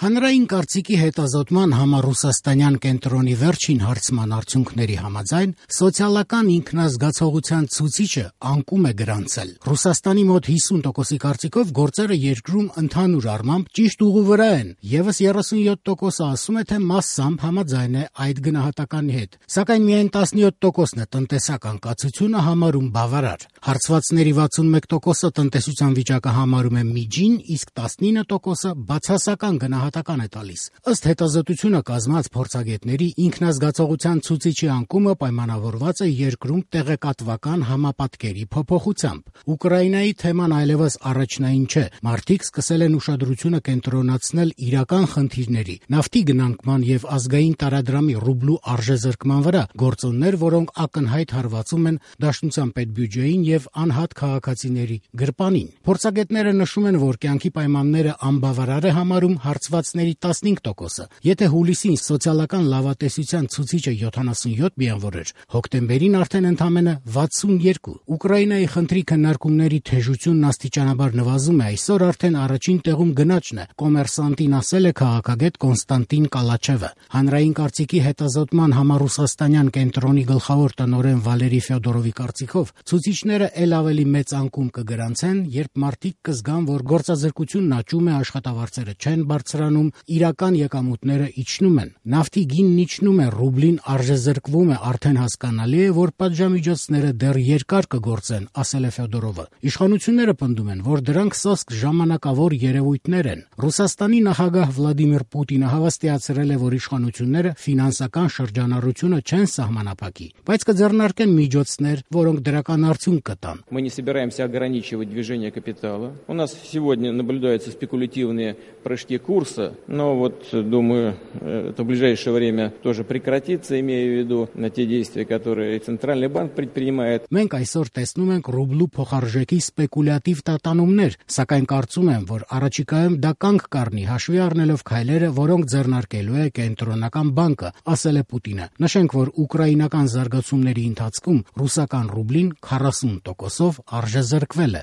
Հանրային կարծիքի հետազոտման համառուսաստանյան կենտրոնի վերջին հարցման արդյունքների համաձայն սոցիալական ինքնազգացողության ցուցիչը անկում է գրանցել։ Ռուսաստանի մոտ 50%-ի կարծիքով գործերը երկրում ընդհանուր առմամբ ճիշտ ուղու վրա են, եւս 37%-ը ասում է, թե մասամբ համաձայն է այդ գնահատականի հետ, սակայն միայն 17%-ն է տնտեսական կացությունը համարում բավարար։ Հարցվածների 61%-ը տնտեսության վիճակը համարում է միջին, իսկ 19%-ը բացասական գնահատական է տալիս։ Ըստ հետազոտությունը կազմած փորձագետների ինքնազգացողության ցուցիչի անկումը պայմանավորված է երկրում տեղեկատվական համապատկերի փոփոխությամբ։ Ուկրաինայի թեման այլևս առաջնային չէ։ Մարդիկ սկսել են ուշադրությունը կենտրոնացնել իրական խնդիրների, նավթի գնանկման եւ ազգային տարադրամի ռուբլու արժեզրկման վրա, գործոններ, որոնք ակնհայտ հարվածում են Դաշնության պետբյուջեին եւ անհատ քաղաքացիների գրպանին։ Փորձագետները նշում են, որ կյանքի պայմանները անբավարար է համարում հարցվածների 15%-ը։ Եթե հուլիսին սոցիալական լավատեսության ցուցիչը 77 միավոր էր, հոկտեմբերին արդեն ընդամենը 62։ Ուկրաինայի խնդրի քննարկումների թեժությունն աստիճանաբար նվազում է, այսօր արդեն առաջին տեղում գնաճն է, կոմերսանտին ասել է քաղաքագետ Կոնստանտին Կալաչևը։ Հանրային կարծիքի հետազոտման համառուսաստանյան կենտրոնի գլխավոր տնօրեն Վալերի Ֆյոդորովի կարծիքով ցուցիչները ել ավելի մեծ անկում կգրանցեն, երբ մարդիկ կզգան, որ գործազրկությունն աճում է, աշխատավարձերը չեն բարձրանում, իրական եկամուտները իջնում են, նավթի գինն իջնում է, ռուբլին արժեզրկվում է, արդեն հասկանալի է, որ պատժամիջոցները դեռ երկար կգործեն, ասել է Ֆյոդորովը։ Իշխանությունները պնդում են, որ դրանք սոսկ ժամանակավոր երևույթներ են։ Ռուսաստանի նախագահ Վլադիմիր Պուտինը հավաստիացրել է, որ իշխանությունները ֆինանսական շրջանառությունը չեն սահմանափակի, բայց կձեռնարկեն միջոցներ, որոնք դրական արդյունք կտան։ Мы не собираемся ограничивать движение капитала. У нас сегодня наблюдаются спекулятивные прыжки курса, но вот, думаю, это в ближайшее время тоже прекратится, имея в виду на те действия, которые Центральный банк предпринимает. Մենք այսօր տեսնում ենք ռուբլու փոխարժեքի սպեկուլյատիվ տատանումներ, սակայն կարծում եմ, որ առաջիկայում դա կանգ կառնի, հաշվի առնելով քայլերը, որոնք ձեռնարկելու է կենտրոնական բանկը, ասել է Պուտինը։ Նշենք, որ ուկրաինական զարգացումների ընթացքում ռուսական ռուբլին 40%-ով արժեզրկվել է։